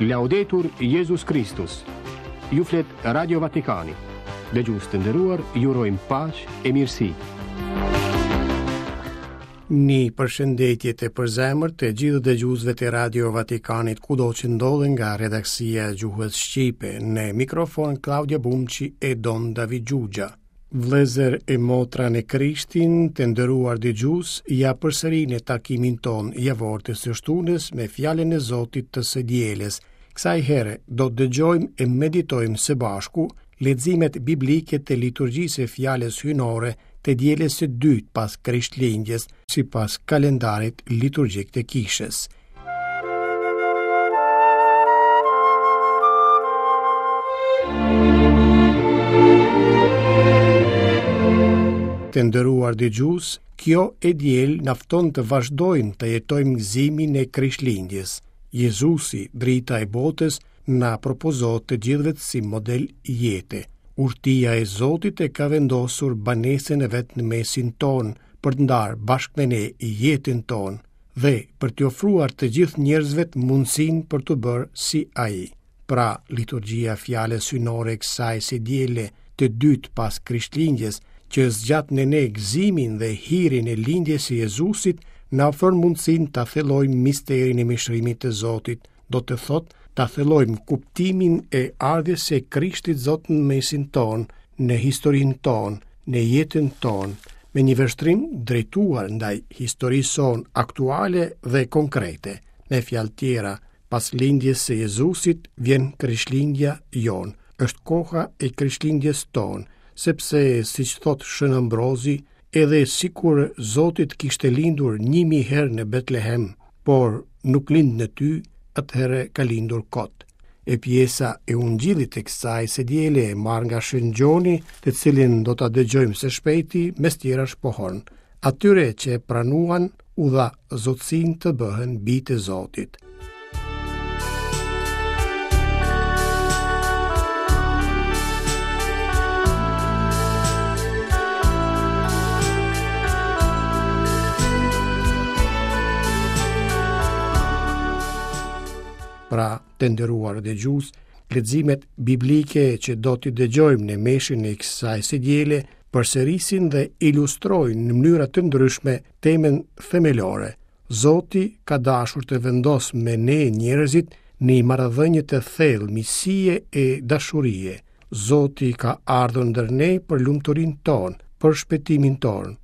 Laudetur Jezus Kristus. Ju flet Radio Vatikani. Dëgjues të nderuar, ju urojmë paqe e mirësi. Një përshëndetje të përzemërt të gjithë dëgjuesve të Radio Vatikanit kudo që ndodhen nga redaksia e gjuhës shqipe në mikrofon Klaudia Bumçi e Don David Xhuxha. Vëllezër e motra në Krishtin, të nderuar dëgjues, ja përsëri në takimin tonë javor të së shtunës me fjalën e Zotit të së dielës. Kësaj here do të dëgjojmë e meditojmë së bashku leximet biblike të liturgjisë së fjalës hyjnore të dielës së dytë pas Krishtlindjes, sipas kalendarit liturgjik të Kishës. Të nderuar dëgjues, kjo e diel na fton të vazhdojmë të jetojmë gëzimin e Krishtlindjes. Jezusi, drita e botës, na propozohet të gjithëve si model jete. Urtia e Zotit e ka vendosur banesën e vet në mesin tonë për të ndarë bashkë me ne jetën tonë. dhe për t'i ofruar të gjithë njerëzve mundësinë për t'u bërë si ai. Pra, liturgjia e fjalës hyjnore e kësaj së diele të dytë pas Krishtlindjes, që zgjat në ne gëzimin dhe hirin e lindjes së Jezusit, na ofron mundësinë ta thellojmë misterin e mishërimit të Zotit, do të thotë ta thellojmë kuptimin e ardhjes së Krishtit Zot në mesin tonë, në historinë tonë, në jetën tonë, me një vështrim drejtuar ndaj historisë sonë aktuale dhe konkrete. Me fjalë tjera, pas lindjes së Jezusit vjen Krishtlindja jonë. Është koha e Krishtlindjes tonë, sepse siç thotë Shën Ambrozi, edhe sikur Zoti të kishte lindur 1000 herë në Betlehem, por nuk lind në ty, atëherë ka lindur kot. E pjesa e ungjillit të kësaj së diele e marrë nga Shën Gjoni, të cilin do ta dëgjojmë së shpejti, mes tjerash pohon. Atyre që e pranuan, u dha zotësinë të bëhen bij të Zotit. Pra, të nderuar dëgjues, leximet biblike që do t'i dëgjojmë në meshën e kësaj së diele përsërisin dhe ilustrojnë në mënyra të ndryshme temën themelore. Zoti ka dashur të vendosë me ne njerëzit një marrëdhënie të thellë miqësie e dashurie. Zoti ka ardhur ndër ne për lumturinë tonë, për shpëtimin tonë.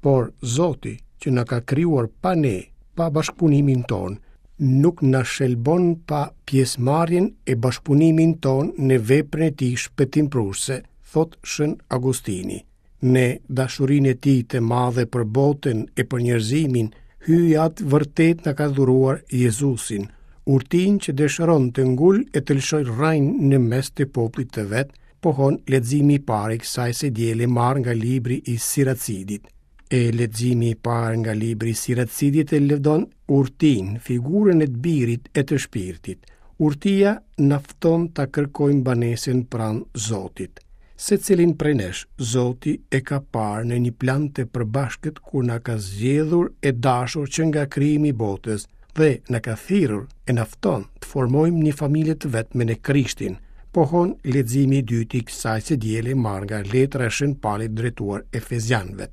Por Zoti që na ka krijuar pa ne, pa bashkëpunimin tonë, nuk na shëlbon pa pjesëmarrjen e bashkëpunimin tonë në veprën e tij shpëtimprurëse, thotë Shën Agustini. Në dashurinë e tij të madhe për botën e për njerëzimin, Hyji Atë vërtet na ka dhuruar Jezusin, urtinë që dëshiron të ngulë e të lëshojë rrënjë në mes të popullit të vet, pohon leximi i parë i kësaj së diele marrë nga libri i Siracidit. E leximi i parë nga libri i Siracidit e lëvdon urtinë, figurën e të birit e të shpirtit. Urtia na fton ta kërkojmë banesën pranë Zotit. Secilin prej nesh, Zoti e ka parë në një plan të përbashkët kur na ka zgjedhur e dashur që nga krijimi i botës dhe na ka thirrur e na fton të formojmë një familje të vetme në Krishtin, pohon leximi i dytë i kësaj së diele marrë nga letra e Shën Palit drejtuar Efezianëve.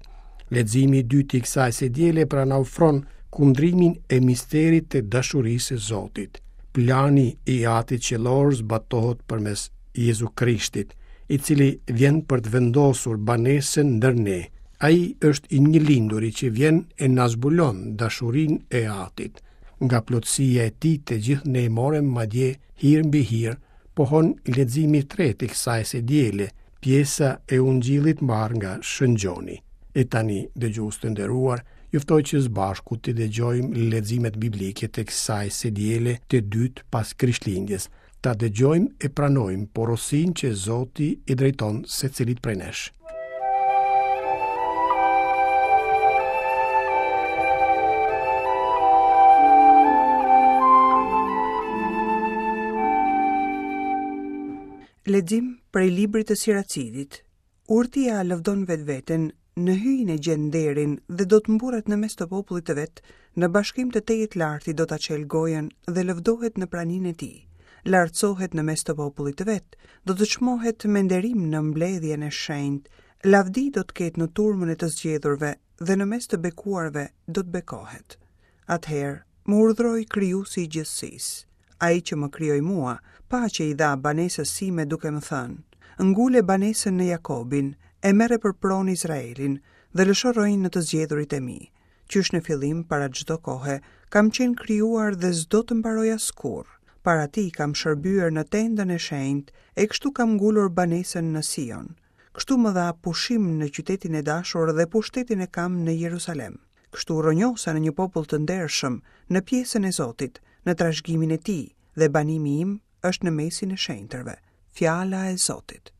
Leximi i dytë i kësaj së diele pra na ofron kundrimin e misterit të dashurisë së Zotit. Plani i Atit Qiellor zbatohet përmes Jezu Krishtit, i cili vjen për të vendosur banesën ndër ne. Ai është i njëlinduri që vjen e na zbulon dashurinë e Atit. Nga plotësia e tij të gjithë ne morëm madje hir mbi hir, pohon leximi i tretë i kësaj së diele, pjesa e Ungjillit marrë nga Shën Gjoni. E tani, dëgjues të nderuar, ju ftoj që së bashku të dëgjojmë leximet biblike të kësaj së diele të dytë pas Krishtlindjes, ta dëgjojmë e pranojmë porosinë që Zoti i drejton secilit prej nesh. Lexim prej librit të Siracidit. Urtia lëvdon vetveten, në Hyjin e gjen nderin dhe do të mburret në mes të popullit të vet, në bashkim të Tejet Lartit do ta çelë gojën dhe lëvdohet në praninë e tij. Lartësohet në mes të popullit të vet, do të çmohet me nderim në mbledhjen e shenjtë, lavdi do të ketë në turmën e të zgjedhurve dhe në mes të bekuarve do të bekohet. Atëherë, më urdhëroi Krijuesi i gjithësisë, Ai që më krijoi mua, paqe i dha banesës sime duke më thënë, Ngule banesën në Jakobin, e merre për pronë Izraelin dhe lësho rrënjë në të zgjedhurit e mi. Qysh në fillim, para çdo kohe, kam qenë krijuar dhe s'do të mbaroj askurrë. Para tij kam shërbyer në tendën e shenjtë e kështu kam ngulur banesën në Sion. Kështu më dha pushim në qytetin e dashur dhe pushtetin e kam në Jerusalem. Kështu u rrënjosa në një popull të ndershëm, në pjesën e Zotit, në trashëgiminë e tij, dhe banimi im është në mesin e shenjtërve. Fjala e Zotit.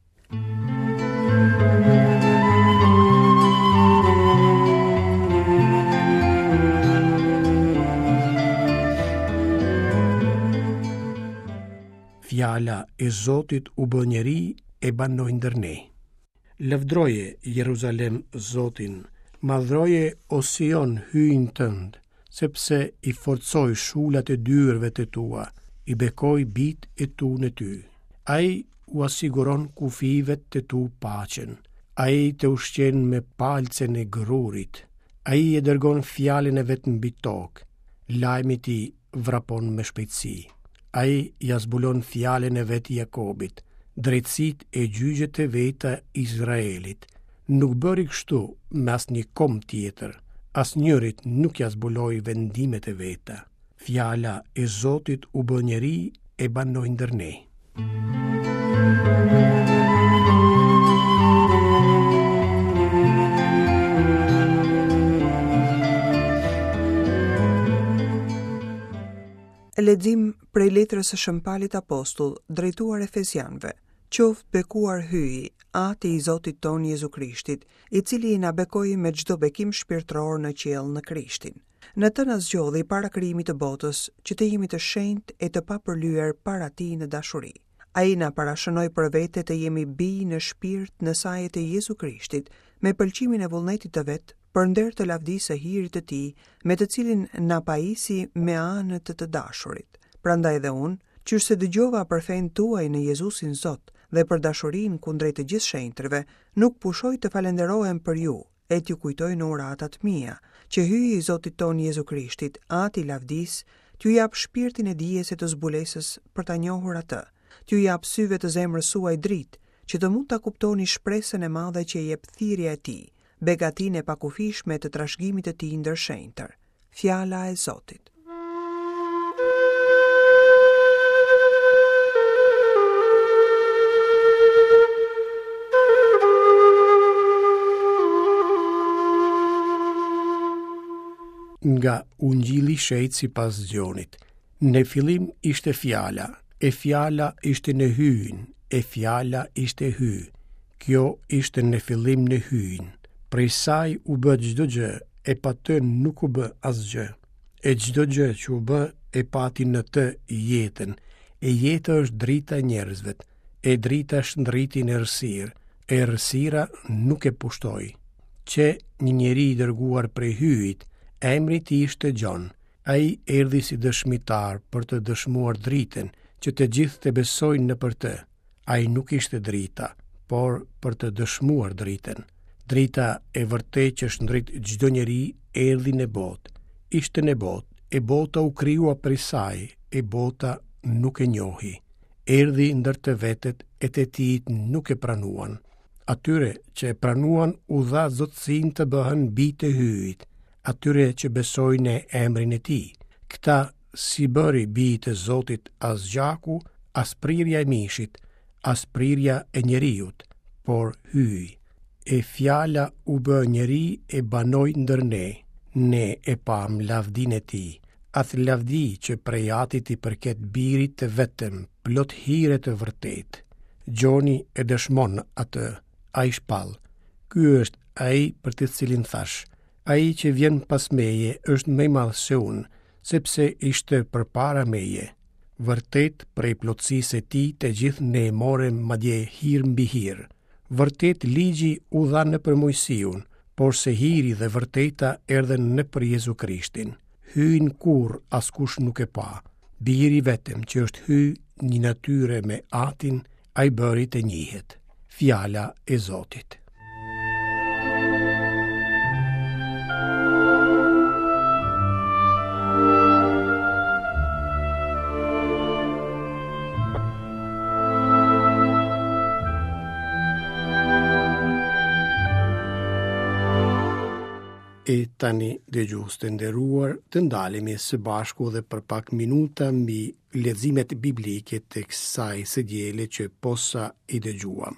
Fjala e Zotit u bë njeri e banoi ndër ne. Lavdëroje, Jeruzalem, Zotin, madhëroje, o Sion, Hyjin tënd, sepse i forcoi shulat e dyerve të tua, i bekoi bijtë e tu në ty. Ai ua siguron kufijve të tu paqen. Ai të ushqen me palcën e grurit. Ai e dërgon fjalën e vet mbi tokë. Lajmi i tij vrapon me shpejtësi. Ai ia zbulon fjalën e vet Jakobit, drejtësitë e gjyqet e veta Izraelit. Nuk bëri kështu me asnjë komb tjetër, asnjërit nuk ia zbuloi vendimet e veta. Fjala e Zotit u bë njeri e banoi ndër ne. Lexim prej letrës së Shën Palit Apostull drejtuar Efezianëve. Qoftë bekuar Hyji, Ati i Zotit tonë Jezu Krishtit, i cili na bekoi me çdo bekim shpirtëror në qiell në Krishtin. Në të na zgjodhi para krijimit të botës, që të jemi të shenjtë e të papërlyer para tij në dashuri. Ai na parashënoi për vete të jemi bij në shpirt në saje të Jezu Krishtit, me pëlqimin e vullnetit të vet, për nder të lavdisë së hirit të tij, me të cilin na pajisi me anë të të dashurit. Prandaj dhe unë, qysh se dëgjova për fenë tuaj në Jezusin Zot dhe për dashurinë kundrejt të gjithë shenjtërve, nuk pushoj të falënderohem për ju, e t'ju kujtoj në uratat mia, që Hyji i Zotit tonë Jezu Krishtit, Ati i lavdisë, t'ju japë shpirtin e dijes e të zbulesës për ta njohur atë, t'ju japë syve të zemrës suaj dritë, që të mund ta kuptoni shpresën e madhe që jep thirrja e tij, begatinë e pakufishme të trashëgimit të tij ndër shenjtër. Fjala e Zotit. Nga Ungjilli i Shenjtë sipas Gjonit. Në fillim ishte fjala, e fjala ishte në Hyjin, e fjala ishte Hyj. Kjo ishte në fillim në Hyjin. Prej saj u bë çdo gjë, e pa të nuk u bë asgjë. E çdo gjë që u bë e pati në të jetën, e jeta është drita e njerëzve, e drita shndriti në errësirë, e errësira nuk e pushtoi. Qe një njeri i dërguar prej Hyjit, emri i tij ishte Gjon. Ai erdhi si dëshmitar për të dëshmuar dritën, që të gjithë të besojnë nëpër të. Ai nuk ishte drita, por për të dëshmuar dritën. Drita e vërtetë që shndrit çdo njeri erdhi në botë. Ishte në botë, e bota u krijua prej saj, e bota nuk e njohi. Erdhi ndër të vetët e të tijtë nuk e pranuan. Atyre që e pranuan u dha zotësinë të bëhen bij të Hyjit, atyre që besojnë në emrin e tij. Këta S'i bëri bij të Zotit as gjaku, as prirja e mishit, as prirja e njeriut, por Hyji. E fjala u bë njeri e banoi ndër ne, ne e pamë lavdinë e tij, atë lavdi që prej Atit i përket birit të vetëm, plot hir e të vërtetë. Gjoni e dëshmon atë, ai shpall, ky është ai për të cilin thashë, Ai që vjen pas meje është më i madh se unë, sepse ishte përpara meje. Vërtet prej plotësisë së tij të gjithë ne morëm madje hir mbi hir. Vërtet ligji u dha nëpër Moisiun, porse hiri dhe vërteta erdhën nëpër Jezu Krishtin. Hyjin kurrë askush nuk e pa. Biri i vetëm që është Hyj një natyre me Atin, ai bëri të njihet. Fjala e Zotit. E tani, dëgjues të nderuar, të ndalemi së bashku dhe për pak minuta mbi leximet biblike të kësaj së diele që posa i dëgjuam.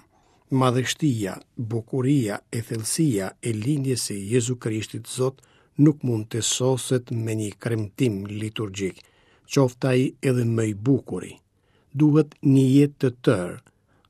Madhështia, bukuria e thellësia e lindjes së Jezu Krishtit Zot nuk mund të soset me një kremtim liturgjik, qoftë ai edhe më i bukuri. Duhet një jetë të tërë,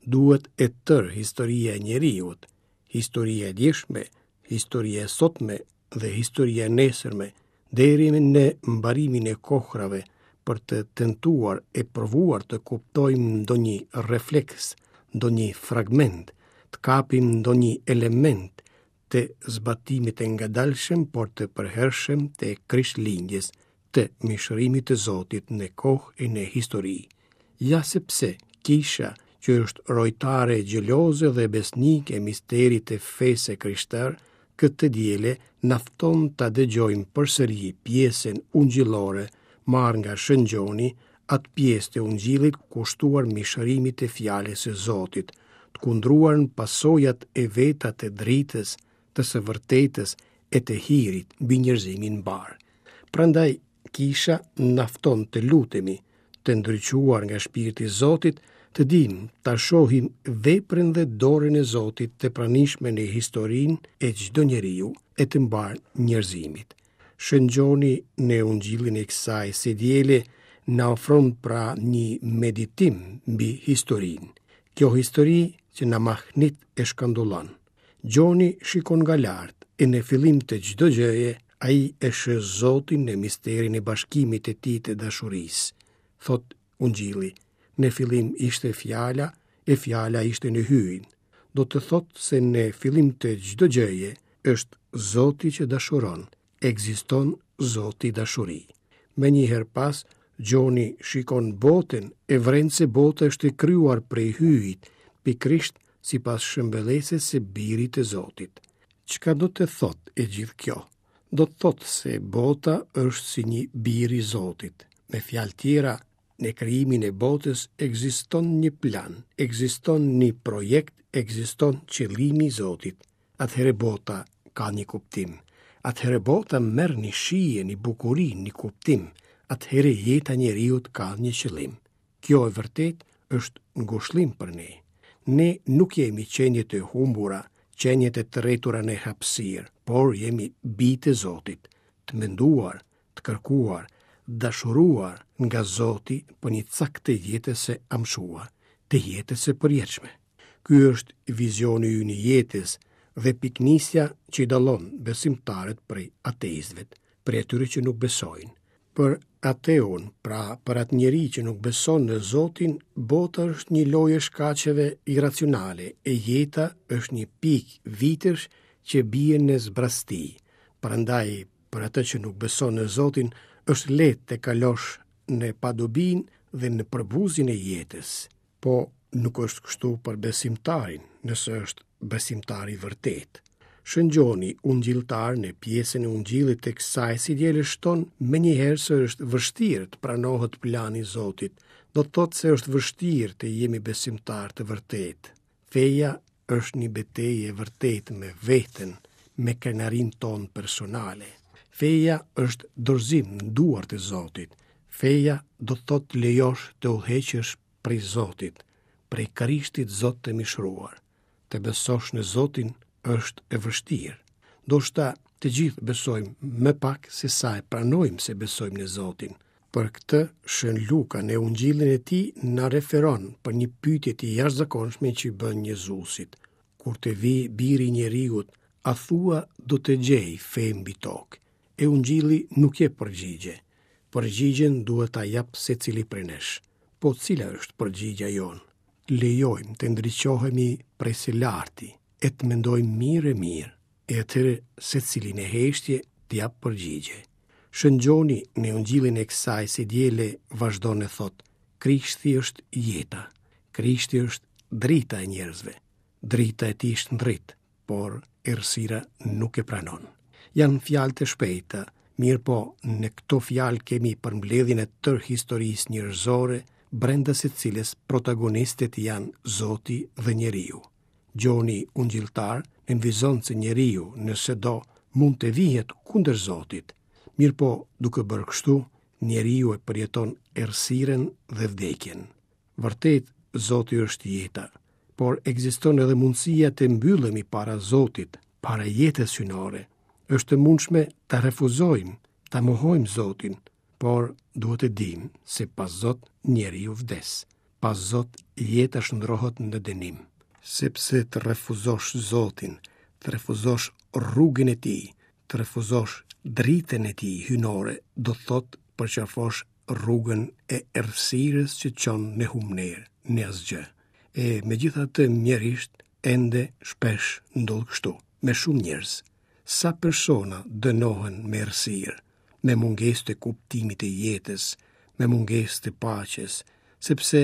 duhet e tërë historia e njeriut, historia e djeshme, historia e sotme dhe historia e nesërme, deri në mbarimin e kohrave për të tentuar e provuar të kuptojmë ndonjë refleks, ndonjë fragment, të kapim ndonjë element të zbatimit të ngadalshëm, por të përhershëm të Krishtlindjes, të mishërimit të Zotit në kohë e në histori. Ja sepse kisha, që është rojtare xheloze dhe besnike e misterit të fesë së krishterë, këtë të diele na fton ta dëgjojmë përsëri pjesën ungjillore marrë nga Shën Gjoni, atë pjesë të ungjillit kushtuar mishërimit të fjalës së Zotit, të kundruar në pasojat e veta të dritës, të së vërtetës e të hirit mbi njerëzimin mbarë. Prandaj kisha na fton të lutemi, të ndriçuar nga shpirti i Zotit, të dimë ta shohim veprën dhe dorën e Zotit të pranishme në historinë e çdo njeriu e të mbarë njerëzimit. Shën Gjoni në Ungjillin e kësaj së diele na ofron pra një meditim mbi historinë. Kjo histori që na mahnit e shkandullon. Gjoni shikon nga lart e në fillim të çdo gjëje ai e sheh Zotin në misterin e bashkimit të tij të dashurisë. Thotë Ungjilli, në fillim ishte fjala, e fjala ishte në Hyjin. Do të thotë se në fillim të çdo gjëje është Zoti që dashuron, ekziston Zoti dashuri. Menjëherë pas, Gjoni shikon botën e vëren se bota është e krijuar prej Hyjit, pikërisht sipas shëmbëllesës së Birit të Zotit. Çka do të thotë e gjithë kjo? Do të thotë se bota është si një bir i Zotit. Me fjalë tjera, në krijimin e botës ekziston një plan, ekziston një projekt, ekziston qëllimi i Zotit. Atëherë bota ka një kuptim. Atëherë bota merr një shije, një bukuri, një kuptim. Atëherë jeta e njeriut ka një qëllim. Kjo e vërtetë është ngushëllim për ne. Ne nuk jemi qenie të humbura, qenie të tretura në hapësirë, por jemi bij të Zotit, të menduar, të kërkuar, dashuruar nga Zoti për një cak të jetës së amshuar, të jetës së përjetshme. Ky është vizioni ynë i jetës dhe pikënisja që i dallon besimtarët prej ateistëve, prej atyre që nuk besojnë. Për ateun, pra për atë njeri që nuk beson në Zotin, bota është një lojë e shkaqeve irracionale e jeta është një pikë vitesh që bien në zbrazëti. Prandaj, për atë që nuk beson në Zotin, është lehtë të kalosh në padobinë dhe në përbuzjen e jetës. Po nuk është kështu për besimtarin, nëse është besimtar i vërtetë. Shën Gjoni, ungjilltar në pjesën e ungjillit të kësaj së diele shton menjëherë se është vështirë të pranohet plani i Zotit, do të thotë se është vështirë të jemi besimtarë të vërtetë. Feja është një betejë e vërtetë me veten, me krenarinë tonë personale. Feja është dorëzim në duart e Zotit. Feja do të thotë të lejosh të udhëheqesh prej Zotit, prej Krishtit Zot të mishëruar. Të besosh në Zotin është e vështirë. Ndoshta të gjithë besojmë më pak se sa e pranojmë se besojmë në Zotin. Për këtë, Shën Luka në Ungjillin e tij na referon për një pyetje të jashtëzakonshme që i bën Jezusit. Kur të vijë biri i njeriut, a thua do të gjejë fe mbi tokë? E Ungjilli nuk jep përgjigje. Përgjigjen duhet ta japë secili prej nesh. Po cila është përgjigja jonë? Lejojmë të ndriçohemi prej së larti e të mendojmë mirë e mirë. E atëherë secili në heshtje të japë përgjigje. Shën Gjoni në Ungjillin e kësaj së diele vazhdon e thotë: Krishti është jeta. Krishti është drita e njerëzve. Drita e tij shndrit, por errësira nuk e pranon. Janë fjalë të shpejta, mirëpo në këto fjalë kemi përmbledhjen e tërë historisë njerëzore, brenda së cilës protagonistët janë Zoti dhe njeriu. Gjoni Ungjilltar nënvizon se njeriu, nëse do, mund të vihet kundër Zotit. Mirëpo, duke bërë kështu, njeriu e përjeton errësirën dhe vdekjen. Vërtet, Zoti është jeta, por ekziston edhe mundësia të mbyllemi para Zotit, para jetës hyjnore. Është e mundshme ta refuzojmë, ta mohojmë Zotin, por duhet të dimë se pa Zot njeriu vdes. Pa Zot jeta shndërrohet në dënim. Sepse të refuzosh Zotin, të refuzosh rrugën e tij, të refuzosh dritën e tij hyjnore, do të thotë përqafosh rrugën e errësirës që çon në humnerë, në asgjë. E megjithatë mjerisht ende shpesh ndodh kështu, me shumë njerëz. Sa persona dënohen me errësirë, me mungesë të kuptimit të jetës, me mungesë të paqes, sepse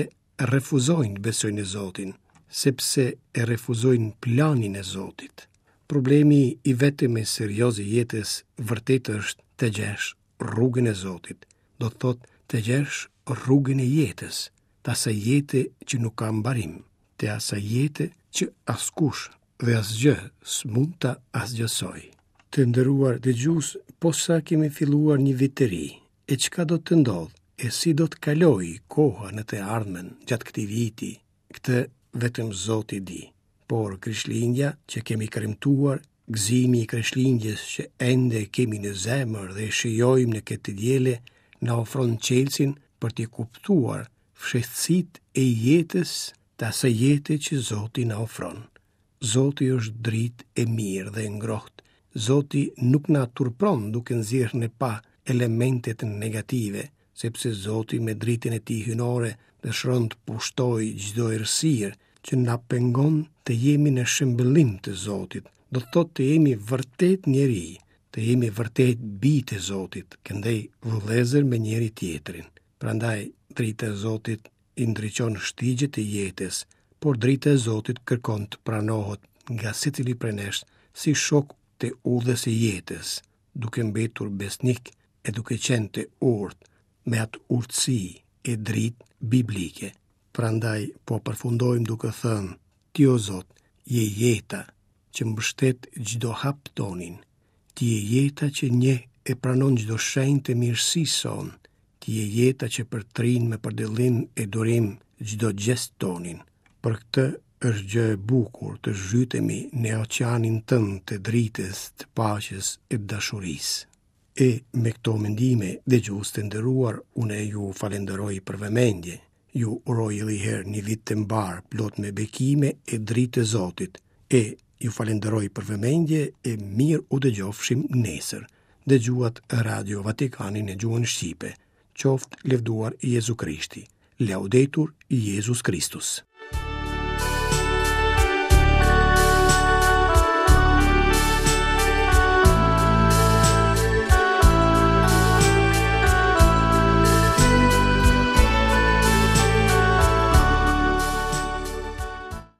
refuzojnë të besojnë në Zotin, sepse e refuzojnë planin e Zotit. Problemi i vetëm e serioz i jetës vërtet është të gjesh rrugën e Zotit, do të thotë të gjesh rrugën e jetës, të asaj jete që nuk ka mbarim, të asaj jete që askush dhe asgjë s'mund ta asgjësojë. Të nderuar dëgjues, posa kemi filluar një vit të ri, e çka do të ndodhë, e si do të kalojë koha në të ardhmen gjatë këtij viti, këtë vetëm Zoti di. Por Krishtlindja që kemi kremtuar, gëzimi i Krishtlindjes që ende kemi në zemër dhe e shijojmë në këtë të diele, na ofron çelësin për të kuptuar fshehtësitë e jetës të asaj jete që Zoti na ofron. Zoti është dritë e mirë dhe e ngrohtë. Zoti nuk na turpron duke nxjerrë në pah elementet negative, sepse Zoti me dritën e tij hyjnore dëshiron të pushtojë çdo errësirë që na pengon të jemi në shëmbëllim të Zotit, do të thotë të jemi vërtet njeri, të jemi vërtet bij të Zotit, këndej vëllezër me njëri-tjetrin. Prandaj drita e Zotit i ndriçon shtigjet e jetës, por drita e Zotit kërkon të pranohet nga secili prej nesh si shok të udhës së jetës, duke mbetur besnik e duke qenë të urtë me atë urtësi e dritë biblike. Prandaj po përfundojmë duke thënë, ti o Zot, je jeta që mbështet çdo hap tonin. Ti je jeta që njeh e pranon çdo shenjë të mirësisë sonë. Ti je jeta që përtrin me përdëllim e durim çdo gjest tonin. Për këtë është gjë e bukur të zhytemi në oqeanin tënd të dritës, të paqes e të dashurisë. E me këto mendime, dëgjues të nderuar, unë ju falenderoj për vëmendje. Ju uroj edhe një herë një vit të mbarë, plot me bekime e dritë të Zotit. E ju falenderoj për vëmendje e mirë u dëgjofshim nesër. Dëgjuat Radio Vatikanin në gjuhën shqipe. Qoftë lëvduar Jezu Krishti. Laudetur Jezus Kristus.